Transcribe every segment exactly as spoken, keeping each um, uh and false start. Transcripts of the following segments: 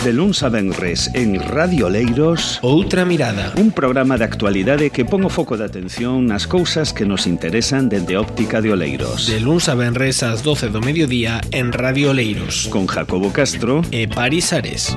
De luns a venres en Radio Oleiros, Outra Mirada, un programa de actualidade que pon o foco de atención nas cousas que nos interesan dende a óptica de Oleiros. De luns a venres ás doce do mediodía en Radio Oleiros, con Jacobo Castro e Paris Ares.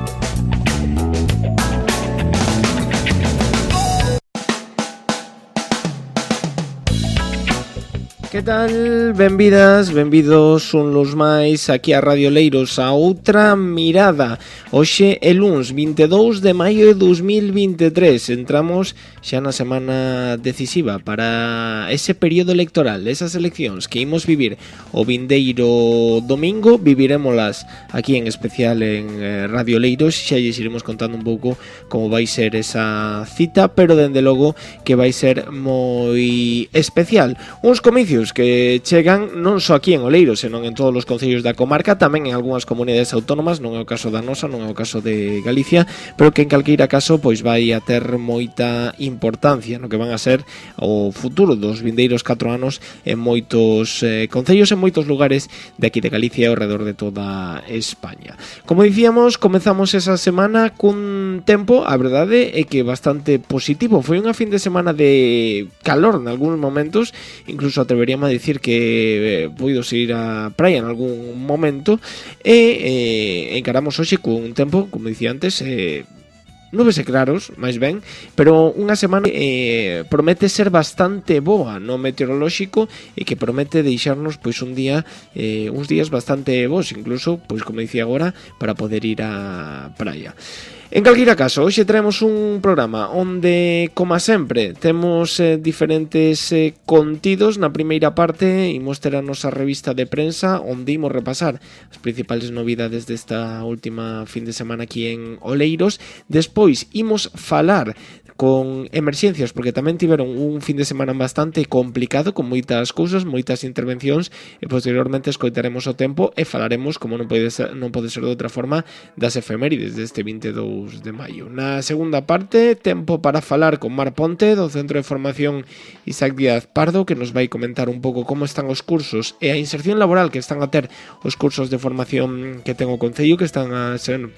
Que tal? Benvidas, benvidos un los máis aquí a Radio Oleiros a Outra Mirada. Hoxe é luns vinte e dous de maio de dos mil vinte e tres. Entramos xa na semana decisiva para ese período electoral, esas eleccións que imos vivir o vindeiro domingo. Vivirémolas aquí en especial en Radio Oleiros. Xa lles iremos contando un pouco como vai ser esa cita, pero dende logo que vai ser moi especial. Uns comicios que chegan non só aquí en Oleiros, senón en todos os concellos da comarca, tamén en algunhas comunidades autónomas, non é o caso da nosa, non é o caso de Galicia, pero que en calqueira caso pois vai a ter moita importancia no que van a ser o futuro dos vindeiros catro anos en moitos eh, concellos, en moitos lugares de aquí de Galicia e ao redor de toda España. Como dicíamos, comezamos esa semana cun tempo, a verdade é que bastante positivo. Foi unha fin de semana de calor en algúns momentos, incluso atreveríamos a dicir que eh, poidos ir á praia en algún momento, e eh, encaramos hoxe cun tempo, como dicía antes, eh, nubes e claros, máis ben, pero unha semana eh, promete ser bastante boa no meteorolóxico e que promete deixarnos pois un día, eh, uns días bastante bons, incluso, pois como dicía agora, para poder ir á praia. En calquera caso, hoxe traemos un programa onde, como sempre, temos eh, diferentes eh, contidos. Na primeira parte imos ter a nosa revista de prensa onde imos repasar as principales novidades desta última fin de semana aquí en Oleiros. Despois imos falar con emerxencias, porque tamén tiveron un fin de semana bastante complicado, con moitas cousas, moitas intervencións, e posteriormente escoitaremos o tempo e falaremos, como non pode ser, non pode ser de outra forma, das efemérides deste vinte e dous de maio. Na segunda parte, tempo para falar con Mar Ponte, do Centro de Formación Isaac Díaz Pardo, que nos vai comentar un pouco como están os cursos e a inserción laboral que están a ter os cursos de formación que ten o Concello, que están a ser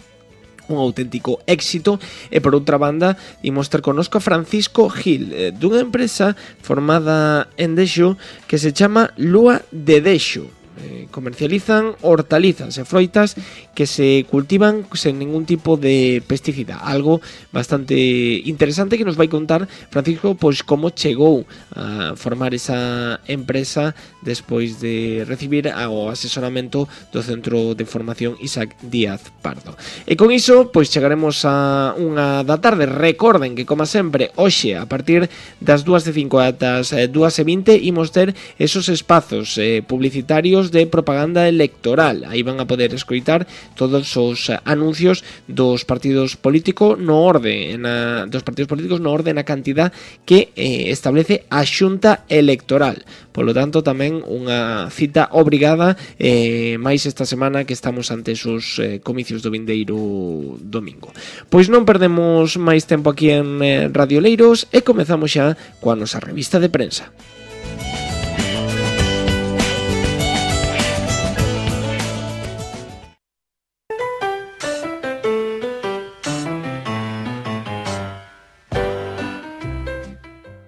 un auténtico éxito. E por outra banda imos ter connosco a Francisco Gil, dunha empresa formada en Dexo que se chama Lúa de Dexo. Eh, comercializan hortalizas e froitas que se cultivan sen ningún tipo de pesticida, algo bastante interesante que nos vai contar Francisco, pois como chegou a formar esa empresa despois de recibir o asesoramento do Centro de Formación Isaac Díaz Pardo. E con iso, pois chegaremos a unha da tarde. Recorden que, como sempre, hoxe a partir das dúas e cinco ata as dúas e vinte imos ter esos espazos eh, publicitarios de propaganda electoral. Aí van a poder escoitar todos os anuncios dos partidos políticos no orde na, dos partidos políticos no orde na cantidad que eh, establece a Xunta Electoral. Polo tanto, tamén unha cita obrigada eh, máis esta semana que estamos ante esos eh, comicios do vindeiro domingo. Pois non perdemos máis tempo aquí en eh, Radio Oleiros e comezamos xa coa nosa revista de prensa.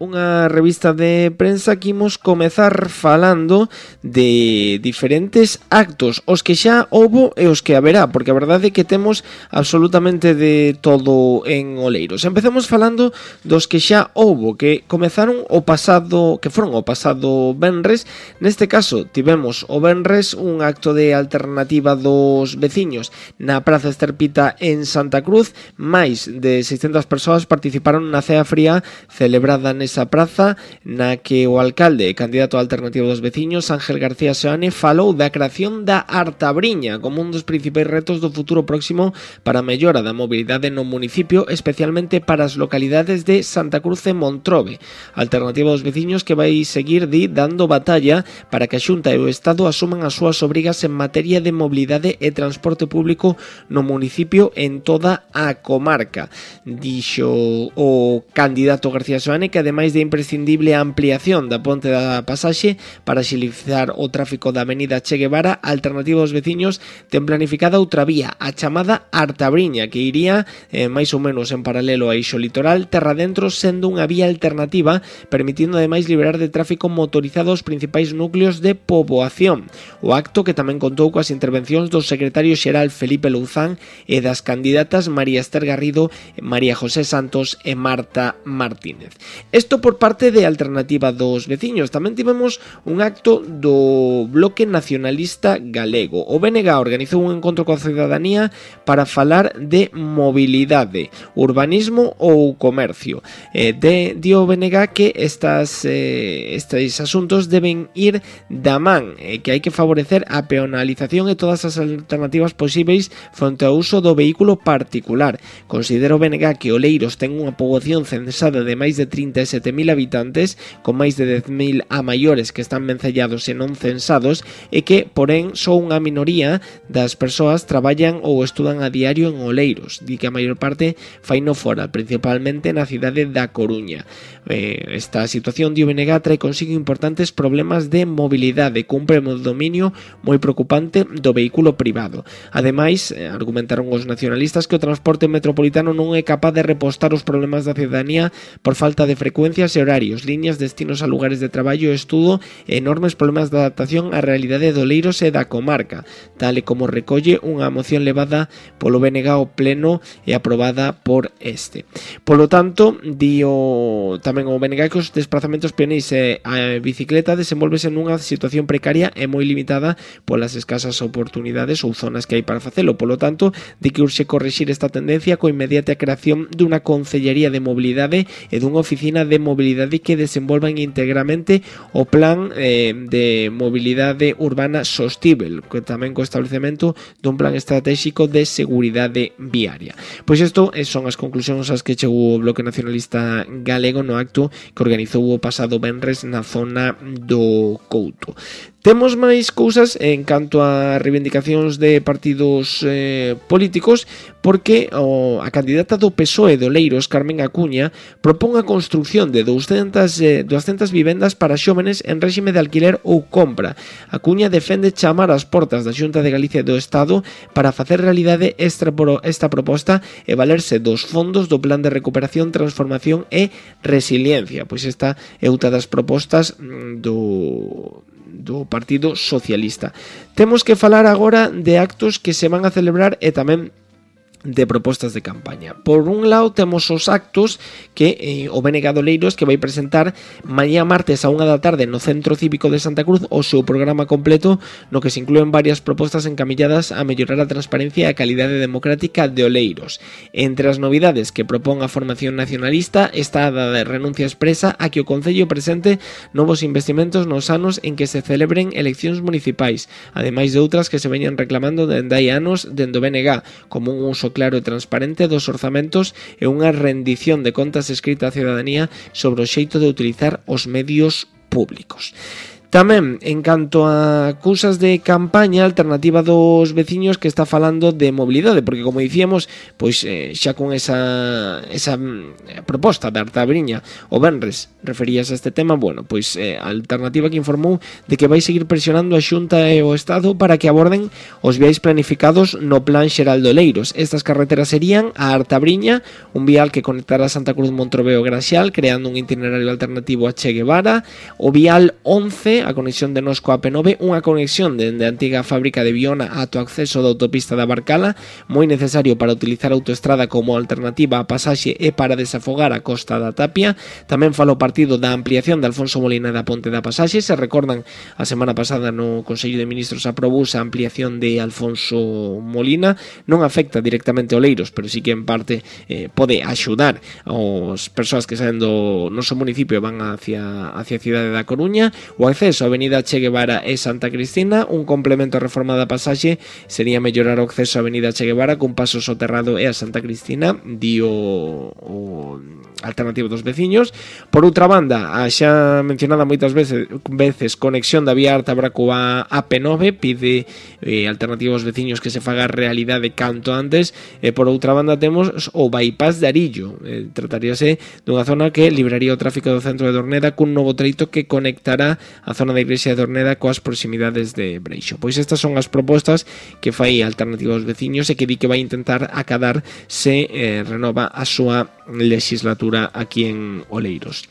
Unha revista de prensa que imos comezar falando de diferentes actos, os que xa houbo e os que haberá, porque a verdade é que temos absolutamente de todo en Oleiros. Empezamos falando dos que xa houbo, que comezaron o pasado, que foron o pasado venres. Neste caso tivemos o venres un acto de alternativa dos veciños na Praza Esterpita en Santa Cruz. Máis de seiscentas persoas participaron na cea fría celebrada nesa praza, na que o alcalde e candidato alternativo dos veciños, Ángel García Seoane, falou da creación da Artabriña como un dos principais retos do futuro próximo para a mellora da mobilidade no municipio, especialmente para as localidades de Santa Cruz e Montrobe. Alternativa dos veciños que vai seguir di dando batalla para que a Xunta e o Estado asuman as súas obrigas en materia de mobilidade e transporte público no municipio en toda a comarca. Dixo o candidato García Seoane que, ademais de imprescindible a ampliación da ponte da pasaxe para axilizar o tráfico da avenida Che Guevara. A alternativa dos veciños ten planificada outra vía, a chamada Artabriña, que iría eh, máis ou menos en paralelo a eixo litoral terra dentro, sendo unha vía alternativa, permitindo ademais liberar de tráfico motorizado os principais núcleos de poboación. O acto, que tamén contou coas intervencións do secretario xeral Felipe Louzán e das candidatas María Esther Garrido, María José Santos e Marta Martínez. Isto por parte de Alternativa dos Veciños. Tamén tivemos un acto do Bloque Nacionalista Galego. O B N G organizou un encontro coa cidadanía para falar de mobilidade, urbanismo ou comercio. Eh, de, di o B N G que estas, eh, estes asuntos deben ir da man, eh, que hai que favorecer a peonalización e todas as alternativas posíveis fronte ao uso do vehículo particular. Considera o B N G que Oleiros ten unha poboación censada de máis de trinta e sete mil habitantes, con máis de dez mil a maiores que están vencellados e non censados, e que, porén, só unha minoría das persoas traballan ou estudan a diario en Oleiros. Di que a maior parte faino fora, principalmente na cidade da Coruña. Eh, esta situación de o B N G trae consigo importantes problemas de mobilidade, cun predominio moi preocupante do vehículo privado. Ademais, eh, argumentaron os nacionalistas que o transporte metropolitano non é capaz de repostar os problemas da cidadanía por falta de frecuencias e horarios, líneas, destinos a lugares de traballo e estudo e enormes problemas de adaptación á realidade de Oleiros e da comarca, tal e como recolle unha moción levada polo B N G ao pleno e aprobada por este. Polo tanto, di o, tamén o B N G que os desplazamentos peoneis e a bicicleta desenvolvese nunha situación precaria e moi limitada polas escasas oportunidades ou zonas que hai para facelo. Polo tanto, di que urxe corrixir esta tendencia coa inmediata creación dunha Concellería de Mobilidade e dunha oficina de mobilidade que desenvolvan íntegramente o plan eh, de mobilidade urbana sostível, que tamén co establecemento dun plan estratégico de seguridade viaria. Pois isto son as conclusións ás que chegou o Bloque Nacionalista Galego no acto que organizou o pasado venres na zona do Couto. Temos máis cousas en canto a reivindicacións de partidos eh, políticos, porque o, a candidata do P S O E de Oleiros, Carmen Acuña, propón a construción de doscientas, eh, doscientas vivendas para xóvenes en réxime de alquiler ou compra. Acuña defende chamar as portas da Xunta de Galicia do Estado para facer realidade esta, esta proposta e valerse dos fondos do Plan de Recuperación, Transformación e Resiliencia. Pois esta é outra das propostas do... do Partido Socialista. Temos que falar agora de actos que se van a celebrar e tamén de propostas de campaña. Por un lado temos os actos que eh, o B N G de Oleiros que vai presentar mañá martes a unha da tarde no Centro Cívico de Santa Cruz o seu programa completo, no que se inclúen varias propostas encamilladas a mellorar a transparencia e a calidade democrática de Oleiros. Entre as novidades que propón a formación nacionalista está a da renuncia expresa a que o Concello presente novos investimentos nos anos en que se celebren eleccións municipais, ademais de outras que se veñan reclamando dende hai anos dende o B N G, como un uso claro e transparente dos orzamentos e unha rendición de contas escrita á cidadanía sobre o xeito de utilizar os medios públicos. Tamén, en canto a cousas de campaña, Alternativa dos Veciños que está falando de mobilidade, porque como dicíamos, pois eh, xa con esa, esa proposta de Artabriña o venres referías a este tema, bueno, pois eh, a Alternativa que informou de que vai seguir presionando a Xunta e o Estado para que aborden os viais planificados no Plan Xeral de Oleiros. Estas carreteras serían a Artabriña, un vial que conectará Santa Cruz, Montrobeo e Graxal, creando un itinerario alternativo a Che Guevara, o vial once, a conexión de Nos coa P nove, unha conexión dende a antiga fábrica de Viona ata o acceso da autopista da Barcala, moi necesario para utilizar a autoestrada como alternativa a pasaxe e para desafogar a costa da Tapia. Tamén fala o partido da ampliación de Alfonso Molina da Ponte da Pasaxe. Se recordan, a semana pasada no Consello de Ministros aprobou a ampliación de Alfonso Molina. Non afecta directamente a Oleiros, pero sí que en parte eh, pode axudar aos persoas que saen do noso municipio e van hacia, hacia a cidade da Coruña. O acceso a Avenida Che Guevara e Santa Cristina, un complemento a reforma da pasaxe sería mellorar o acceso a Avenida Che Guevara cun paso soterrado e a Santa Cristina, di o, o alternativa dos veciños. Por outra banda, a xa mencionada moitas veces, veces conexión da vía Artabra coa A P nove, pide eh, alternativa aos veciños que se faga realidade canto antes. E por outra banda temos o bypass de Arillo, eh, trataríase dunha zona que libraría o tráfico do centro de Dorneda cun novo treito que conectará a zona da igrexa de Dorneda coas proximidades de Breixo. Pois estas son as propostas que fai alternativa aos veciños e que di que vai intentar acadar se eh, renova a súa legislatura aquí en Oleiros.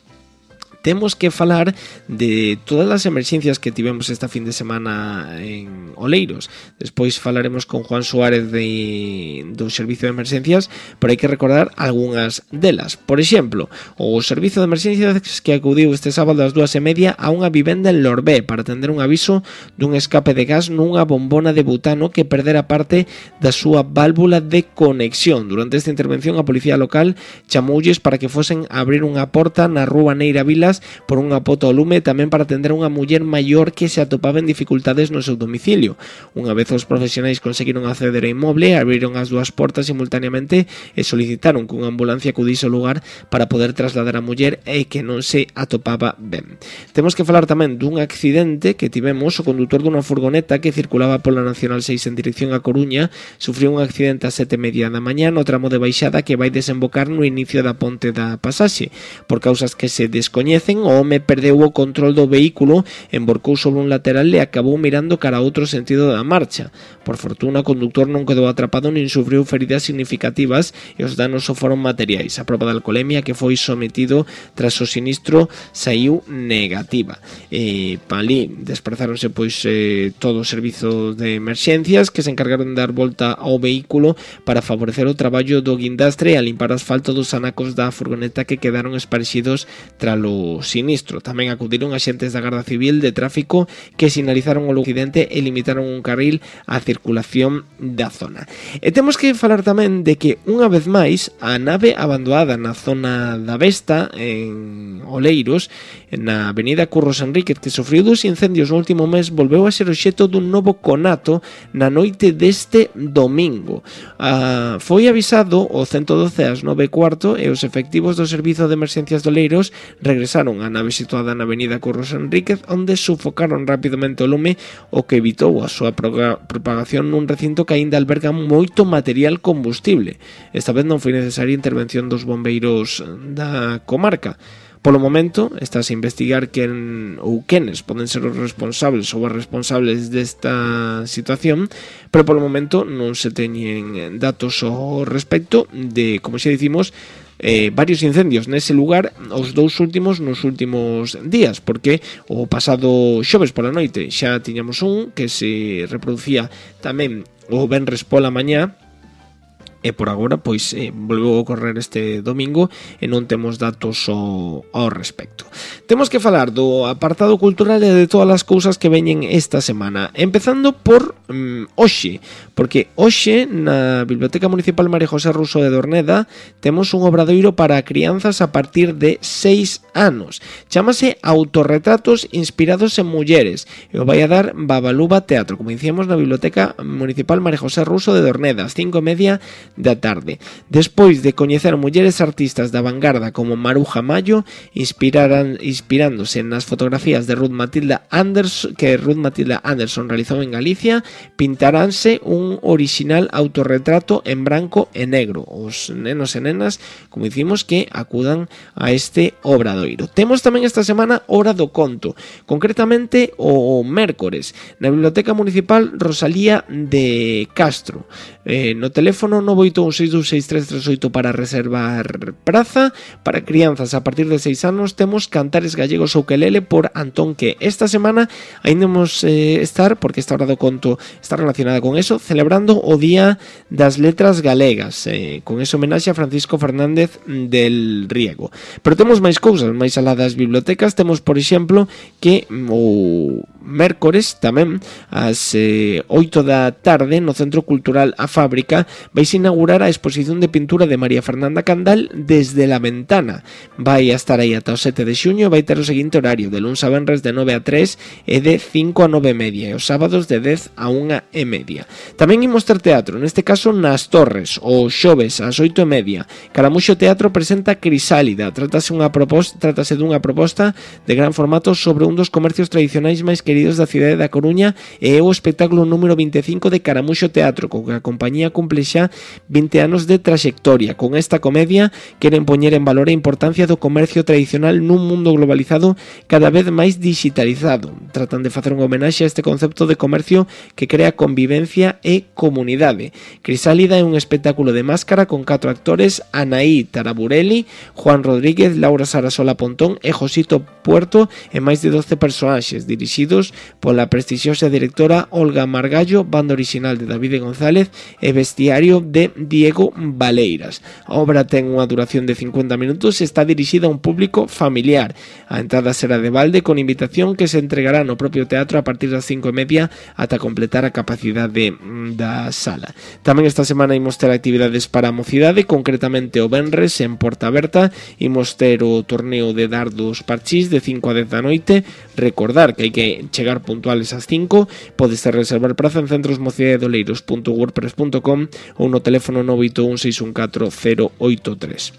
Temos que falar de todas as emerxencias que tivemos esta fin de semana en Oleiros. Despois falaremos con Juan Suárez de, do Servicio de Emerxencias, pero hai que recordar algunhas delas. Por exemplo, o Servicio de Emerxencias que acudiu este sábado ás dúas e media a unha vivenda en Lorbé para atender un aviso dun escape de gas nunha bombona de butano que perdera parte da súa válvula de conexión. Durante esta intervención, a policía local chamoulles para que fosen a abrir unha porta na rúa Neira Vilas por unha pota ao lume, tamén para atender a unha muller maior que se atopaba en dificultades no seu domicilio. Unha vez os profesionais conseguiron acceder ao inmoble, abriron as dúas portas simultaneamente e solicitaron que unha ambulancia acudise ao lugar para poder trasladar a muller e que non se atopaba ben. Temos que falar tamén dun accidente que tivemos. O condutor dunha furgoneta que circulaba pola Nacional seis en dirección a Coruña sufriu un accidente a sete e media da mañá no tramo de baixada que vai desembocar no inicio da ponte da pasaxe. Por causas que se descoñecen, o home perdeu o control do vehículo, emborcou sobre un lateral e acabou mirando cara a outro sentido da marcha. Por fortuna, o conductor non quedou atrapado nin sufriu feridas significativas e os danos só foron materiais. A proba de alcolemia que foi sometido tras o sinistro saiu negativa. E palí desprazáronse pois eh, todo o servizo de emerxencias que se encargaron de dar volta ao vehículo para favorecer o traballo do guindastre e a limpar asfalto dos anacos da furgoneta que quedaron esparecidos tralo sinistro. Tamén acudiron axentes da Garda Civil de Tráfico que sinalizaron o accidente e limitaron un carril á circulación da zona. E temos que falar tamén de que unha vez máis a nave abandonada na zona da Vesta en Oleiros, na avenida Curros Enríquez, que sofriu dos incendios no último mes, volveu a ser obxecto dun novo conato na noite deste domingo. Ah, foi avisado o ciento doce ás nove e cuarto e os efectivos do Servizo de Emerxencias de Oleiros regresaron á nave situada na avenida Curros Enríquez, onde sufocaron rapidamente o lume, o que evitou a súa propagación nun recinto que aínda alberga moito material combustible. Esta vez non foi necesaria intervención dos bombeiros da comarca. Polo momento, estás a investigar quen ou quenes poden ser os responsables ou as responsables desta situación, pero polo momento non se teñen datos ao respecto de, como xa dicimos, Eh, varios incendios nese lugar, os dous últimos nos últimos días, porque o pasado xoves pola noite xa tiñamos un que se reproducía tamén o venres pola mañá, e por agora pois eh, volveu a ocorrer este domingo e non temos datos ao, ao respecto. Temos que falar do apartado cultural e de todas as cousas que veñen esta semana, empezando por um, hoxe, porque hoxe na Biblioteca Municipal María José Ruso de Dorneda temos un obradoiro para crianzas a partir de seis anos. Chámase Autorretratos inspirados en mulleres e o vai a dar Babaluba Teatro, como dicíamos, na Biblioteca Municipal María José Ruso de Dorneda, ás cinco e media da tarde. Despois de coñecer mulleres artistas da vanguarda como Maruja Mayo, inspiraran, inspirándose nas fotografías de Ruth Matilda Anderson, que Ruth Matilda Anderson realizou en Galicia, pintaránse un orixinal autorretrato en branco e negro. Os nenos e nenas, como dicimos, que acudan a este obradoiro. Temos tamén esta semana Hora do Conto, concretamente o mércores, na Biblioteca Municipal Rosalía de Castro. Eh, no teléfono nove oito un seis dous seis tres tres oito para reservar praza. Para crianzas a partir de seis anos temos Cantares Gallegos ou Ukelele por Antón Que. Esta semana ainda vamos eh, estar, porque esta Hora do Conto está relacionada con eso, celebrando o Día das Letras Galegas, eh, con ese homenaxe a Francisco Fernández del Riego. Pero temos máis cousas, máis alá das bibliotecas. Temos, por exemplo, que o mércores tamén ás eh, oito da tarde no Centro Cultural A Fábrica vais inaugurar a exposición de pintura de María Fernanda Candal Desde la Ventana. Vai a estar aí ata o sete de xuño, vai ter o seguinte horario: de luns a venres de nove a tres e de cinco a nove e media, e os sábados de dez a unha e media. Tamén imos ter teatro, neste caso nas Torres, o xoves ás oito e media. Caramuxo Teatro presenta Crisálida. Trátase, unha proposta, trátase dunha proposta de gran formato sobre un dos comercios tradicionais máis queridos da cidade da Coruña e é o espectáculo número vinte e cinco de Caramuxo Teatro, co que a compañía cumple xa vinte anos de traxectoria. Con esta comedia queren poñer en valor a importancia do comercio tradicional nun mundo globalizado cada vez máis digitalizado. Tratan de facer unha homenaxe a este concepto de comercio que crea convivencia e comunidade. Crisálida é un espectáculo de máscara con catro actores: Anaí Taraburelli, Juan Rodríguez, Laura Sarasola Pontón e Josito Puerto, e máis de doce personaxes dirixidos pola prestixiosa directora Olga Margallo, banda original de David González e vestiario de Diego Valeiras. A obra ten unha duración de cincuenta minutos e está dirixida a un público familiar. A entrada será de balde, con invitación que se entregará no propio teatro a partir das cinco e media ata completar a capacidade da sala. Tamén esta semana imos ter actividades para a mocidade, concretamente o venres en Porta Aberta imos ter o torneo de dardos parchís de cinco a dez da noite. Recordar que hai que chegar puntuales ás cinco. Podes reservar praza en centrosmocidadedoleiros punto wordpress punto com ou no teléfono nove oito un seis un catro cero oito tres.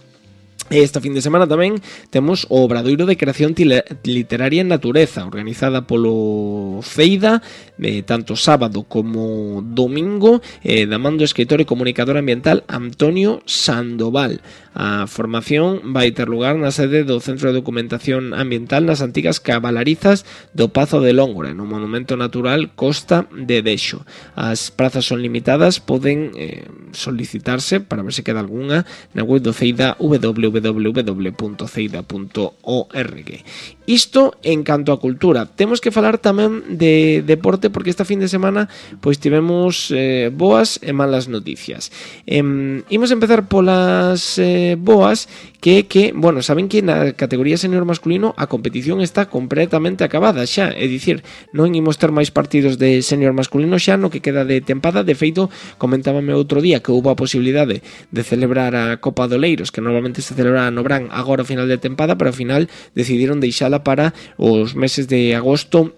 Esta fin de semana tamén temos o Obradoiro de Creación Literaria en Natureza, organizada polo Feida, eh, tanto sábado como domingo, eh, da man do escritor e comunicador ambiental Antonio Sandoval. A formación vai ter lugar na sede do Centro de Documentación Ambiental nas antigas cabalarizas do Pazo de Lóngora, no Monumento Natural Costa de Dexo. As prazas son limitadas, poden eh, solicitarse para ver se queda algunha na web do Feida, w w w punto feida punto org. Isto en canto a cultura. Temos que falar tamén de deporte, porque esta fin de semana pois tivemos eh, boas e malas noticias. Eh, imos empezar polas eh, boas, que que, bueno, saben que na categoría senior masculino a competición está completamente acabada xa, é dicir, non imos ter máis partidos de senior masculino xa no que queda de tempada. De feito, comentábame outro día que houve a posibilidade de celebrar a Copa do Leiros, que normalmente se celebra no Brán agora ao final de tempada, pero ao final decidiron deixala para os meses de agosto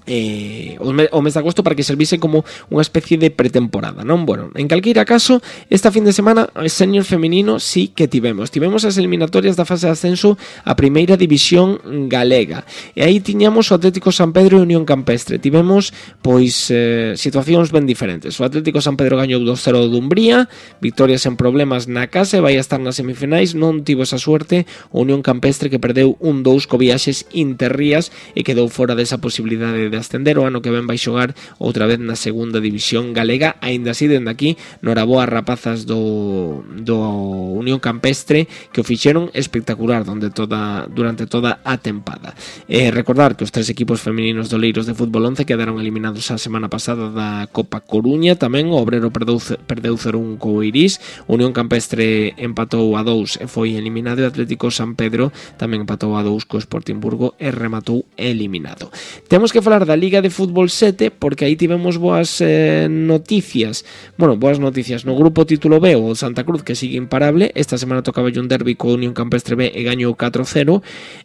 eh, o mes de agosto, para que servise como unha especie de pretemporada, non? Bueno, en calqueira caso, esta fin de semana o senior feminino sí que tivemos tivemos as eliminatorias da fase de ascenso a primeira división galega, e aí tiñamos o Atlético San Pedro e Unión Campestre. Tivemos pois eh, situacións ben diferentes. O Atlético San Pedro gañou dos cero do Umbría, victorias en problemas na casa e vai a estar nas semifinais. Non tivo esa suerte o Unión Campestre, que perdeu un dous co Viaxes Interrías e quedou fora desa posibilidade de ascender. O ano que ven vai xogar outra vez na segunda división galega. Aínda así, dende aquí, noraboa rapazas do, do Unión Campestre, que o fixeron espectacular donde toda, durante toda a tempada. Eh, recordar que os tres equipos femininos do Leiros de Fútbol once quedaron eliminados a semana pasada da Copa Coruña. Tamén o Obrero perdeu, perdeu cero un co Irís, Unión Campestre empatou a dous e foi eliminado, e Atlético San Pedro tamén empatou a dous co Sportingburgo e rematou eliminado. Temos que falar da Liga de Fútbol sete, porque aí tivemos boas eh, noticias. Bueno, boas noticias. No grupo título B, o Santa Cruz, que sigue imparable. Esta semana tocaba un derbi co Unión Campestre B e gañou catro cero.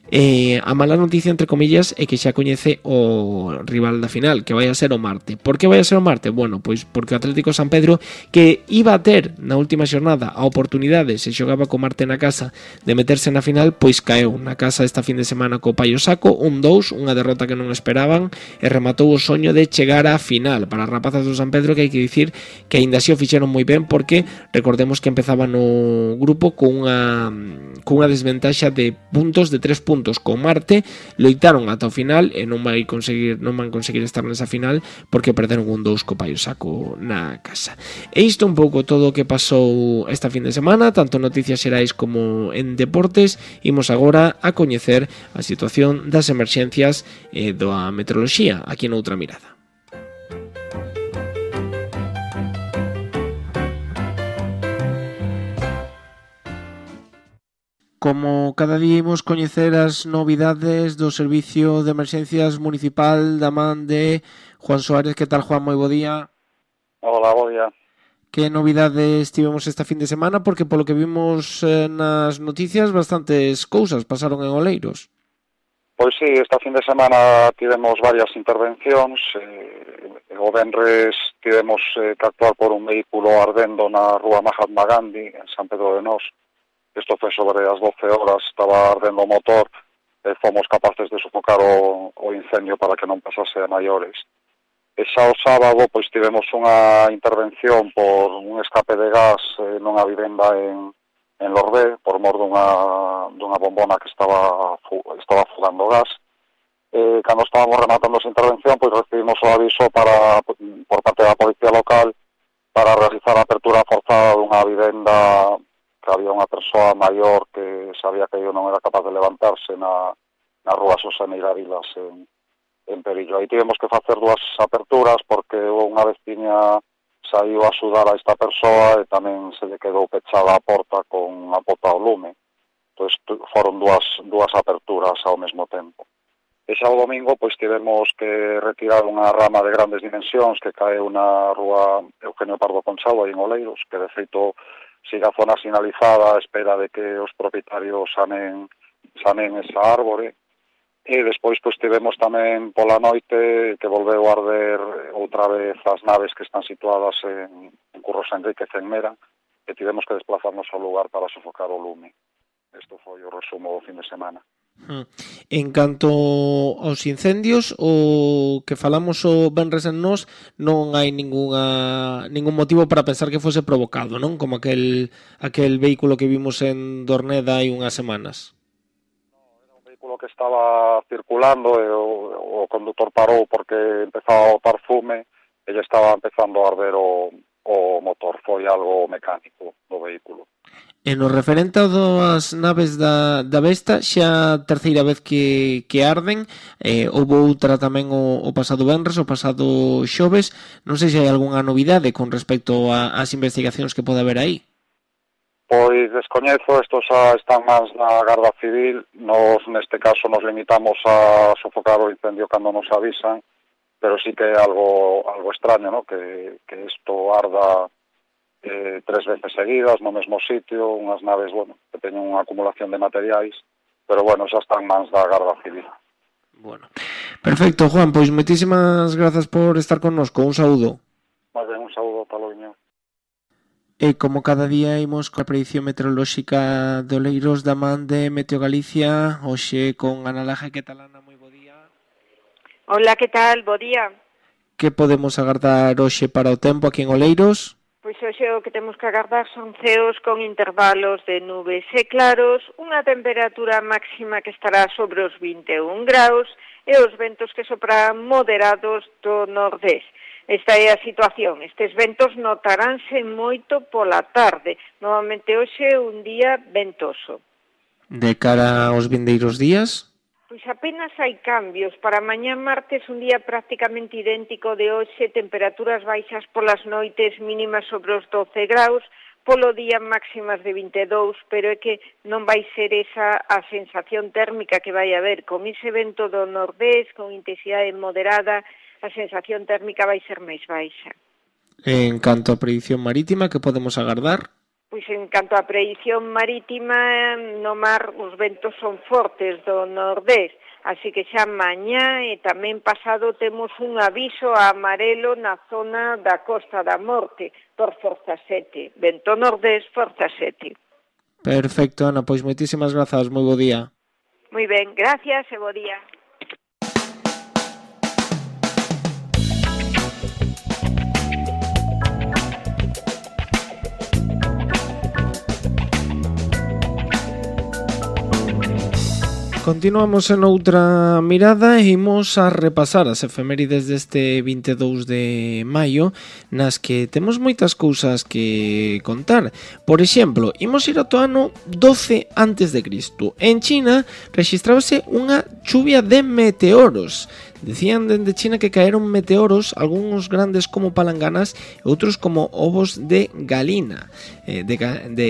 Eh, a mala noticia, entre comillas, é que xa coñece o rival da final, que vai a ser o Marte. Por que vai a ser o Marte? Bueno, pois porque o Atlético San Pedro, que iba a ter na última xornada a oportunidade, se xogaba co Marte na casa, de meterse na final, pois caeu na casa esta fin de semana co Paio Saco, un dous, unha derrota que non esperaban, e rematou o soño de chegar á final. Para as rapazas do San Pedro, que hai que dicir que aínda así o fixeron moi ben, porque recordemos que empezaba no grupo con unha, con unha desventaxa de puntos, de tres puntos con Marte. Loitaron ata o final e non vai conseguir, non van conseguir estar nesa final, porque perderon un dous co Paio Saco na casa. E isto un pouco todo o que pasou esta fin de semana, tanto noticias xerais como en deportes. Imos agora a coñecer a situación das emerxencias e da meteoroloxía aquí noutra mirada. como cada día imos coñecer as novidades do Servicio de Emerxencias Municipal da man de Juan Suárez. Que tal, Juan? Moi bo día. Hola, bo día. Que novidades tivemos esta fin de semana? Porque polo que vimos eh, nas noticias, bastantes cousas pasaron en Oleiros. Pois sí, esta fin de semana tivemos varias intervencións. Eh, o venres tivemos eh, que actuar por un vehículo ardendo na rúa Mahatma Gandhi, en San Pedro de Nós. Isto foi sobre as doce horas, estaba ardendo o motor, e fomos capaces de sofocar o, o incendio para que non pasase a maiores. E xa o sábado, pois tivemos unha intervención por un escape de gas eh, nunha vivenda en, en Lorbé, por mor dunha, dunha bombona que estaba, estaba fugando gas. Eh, cando estábamos rematando esa intervención, pois recibimos o aviso para, por parte da policía local para realizar a apertura forzada dunha vivenda que había unha persoa maior que sabía que eu non era capaz de levantarse na, na rúa Soseneira Vilas en, en Perillo. Aí tivemos que facer dúas aperturas porque unha veciña saiu a axudar a esta persoa e tamén se lle quedou pechada a porta con a pota ao lume. Entón, foron dúas, dúas aperturas ao mesmo tempo. E xa o domingo, pois, tivemos que retirar unha rama de grandes dimensións que caeu na rúa Eugenio Pardo Conchado, aí en Oleiros, que de feito sigue a zona sinalizada a espera de que os propietarios sanen, sanen esa árbore. E despois pois tivemos tamén pola noite que volveu a arder outra vez as naves que están situadas en, en Curros Enríquez en Mera, e tivemos que desplazarnos ao lugar para sofocar o lume. Isto foi o resumo do fin de semana. En canto aos incendios, o que falamos o venres en Nós, non hai ningunha, ningún motivo para pensar que fose provocado, non? Como aquel, aquel vehículo que vimos en Dorneda hai unhas semanas. No, era un vehículo que estaba circulando e o, o conductor parou porque empezaba a botar fume e lle estaba empezando a arder o, o motor. Foi algo mecánico do vehículo. E no referente das naves da, da Vesta, xa a terceira vez que, que arden, eh, houve outra tamén o, o pasado venres, o pasado xoves. Non sei se hai algunha novidade con respecto ás investigacións que pode haber aí. Pois descoñezo, estos xa están máis na Garda Civil. Nos neste caso nos limitamos a sofocar o incendio cando nos avisan, pero sí que é algo, algo extraño, ¿no? que, que isto arda Eh, tres veces seguidas no mesmo sitio, unhas naves, bueno, que teñen unha acumulación de materiais, pero bueno, xa están mans da Garda Civil. Bueno, perfecto, Juan, pois moitísimas grazas por estar connosco, un saúdo. Moi ben, un saúdo, Taloiño. E como cada día imos coa predicción meteorolóxica de Oleiros da man de Meteo Galicia, hoxe con Ana Laje. Que tal, Ana? Moi bo día. Hola, que tal? Bo día. Que podemos agardar hoxe para o tempo aquí en Oleiros? Pois hoxe o que temos que agardar son ceos con intervalos de nubes e claros, unha temperatura máxima que estará sobre os vinte e un graus e os ventos que soprarán moderados do nordés. Esta é a situación. Estes ventos notaránse moito pola tarde. Novamente hoxe é un día ventoso. De cara aos vindeiros días? Pois apenas hai cambios. Para mañá martes un día prácticamente idéntico de hoxe, temperaturas baixas polas noites, mínimas sobre os doce graus, polo día máximas de vinte e dous, pero é que non vai ser esa a sensación térmica que vai haber. Con ese vento do nordés, con intensidade moderada, a sensación térmica vai ser máis baixa. En canto a predicción marítima, que podemos agardar? Pois en canto á predición marítima, no mar os ventos son fortes do nordés, así que xa mañá e tamén pasado temos un aviso a amarelo na zona da Costa da Morte por forza sete, vento nordés forza sete. Perfecto, Ana, pois moitísimas grazas, moi bo día. Moi ben, gracias e bo día. Continuamos en outra mirada e imos a repasar as efemérides deste vinte e dous de maio, nas que temos moitas cousas que contar. Por exemplo, imos ir ao ano doce antes de Cristo. En China rexistrábase unha chuvia de meteoros. Decían dende China que caeron meteoros, algúns grandes como palanganas e outros como ovos de galina, eh, de, de,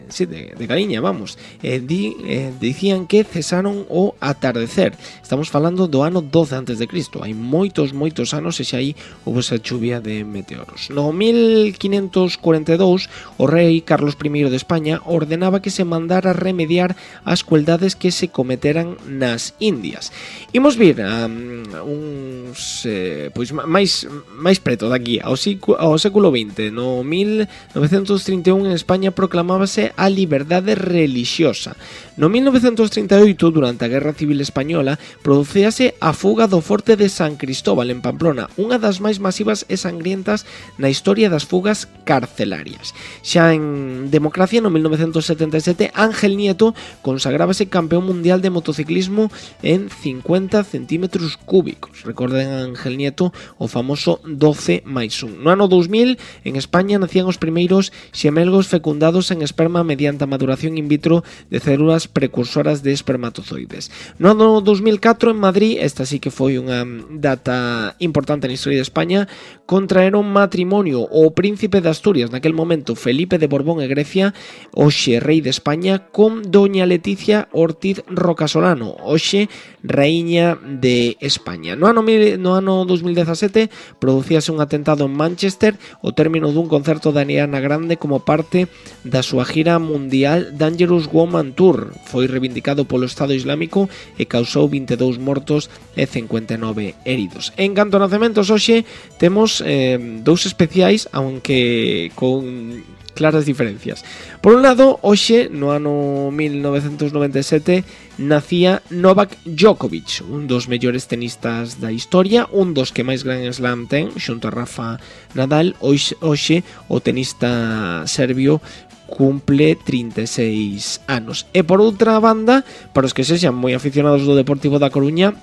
sí, de, de galiña, vamos. Eh, di, eh, dicían que cesaron o atardecer. Estamos falando do ano doce antes de Cristo. Hai moitos, moitos anos e xa aí houve esa chuvia de meteoros. No mil quinhentos cuarenta e dous, o rei Carlos I de España ordenaba que se mandara remediar as crueldades que se cometeran nas Indias. Imos vir a um, uns eh, pois máis máis preto daqui ao, ao século vinte. No mil novecentos trinta e un en España proclamábase a liberdade relixiosa. No mil novecentos trinta e oito, durante a Guerra Civil Española, producíase a fuga do forte de San Cristóbal en Pamplona, unha das máis masivas e sangrientas na historia das fugas carcelarias. Xa en democracia, no mil novecentos setenta e sete, Ángel Nieto consagrábase campeón mundial de motociclismo en cincuenta centímetros cúbicos. Recorden a Ángel Nieto o famoso doce máis un. No ano dous mil, en España nacían os primeiros xemelgos fecundados en esperma mediante a maduración in vitro de células precursoras de espermatozoides. No ano dous mil catro, en Madrid, esta sí que foi unha data importante na historia de España, contraeron matrimonio o príncipe de Asturias, naquel momento Felipe de Borbón e Grecia, hoxe rei de España, con doña Leticia Ortiz Rocasolano, hoxe raíña de España. No ano, no ano dous mil dezasete producíase un atentado en Manchester ao término dun concerto de Ariana Grande como parte da súa gira mundial Dangerous Woman Tour. Foi reivindicado polo Estado Islámico e causou vinte e dous mortos e cincuenta e nove heridos. En canto a nacementos, hoxe temos eh, dous especiais, aunque con claras diferencias. Por un lado, hoxe, no ano mil novecentos noventa e sete, nacía Novak Djokovic, un dos mellores tenistas da historia, un dos que máis Grand Slam ten, xunto a Rafa Nadal. Hoxe, hoxe o tenista serbio cumple trinta e seis anos. E por outra banda, para os que sexan moi aficionados do Deportivo da Coruña,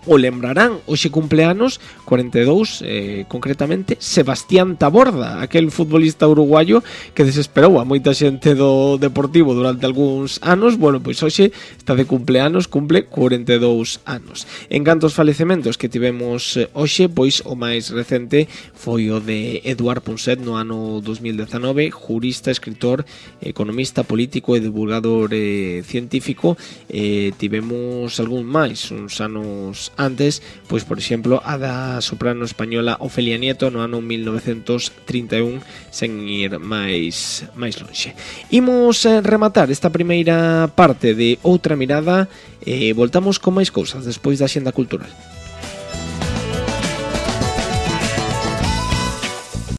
o lembrarán, hoxe cumpleanos cuarenta e dous, eh, concretamente Sebastián Taborda, aquel futbolista uruguayo que desesperou a moita xente do Deportivo durante algúns anos. Bueno, pois hoxe está de cumpleanos, cumple cuarenta e dous anos. En canto aos falecementos que tivemos hoxe, pois o máis recente foi o de Eduard Punset no ano dos mil dezanove, jurista, escritor, economista, político e divulgador eh, científico. Eh, tivemos algún máis, uns anos antes, pois por exemplo a da soprano española Ofelia Nieto no ano mil novecentos trinta e un, sen ir máis máis lonxe. Imos eh, rematar esta primeira parte de Outra Mirada e voltamos con máis cousas despois da Axenda Cultural.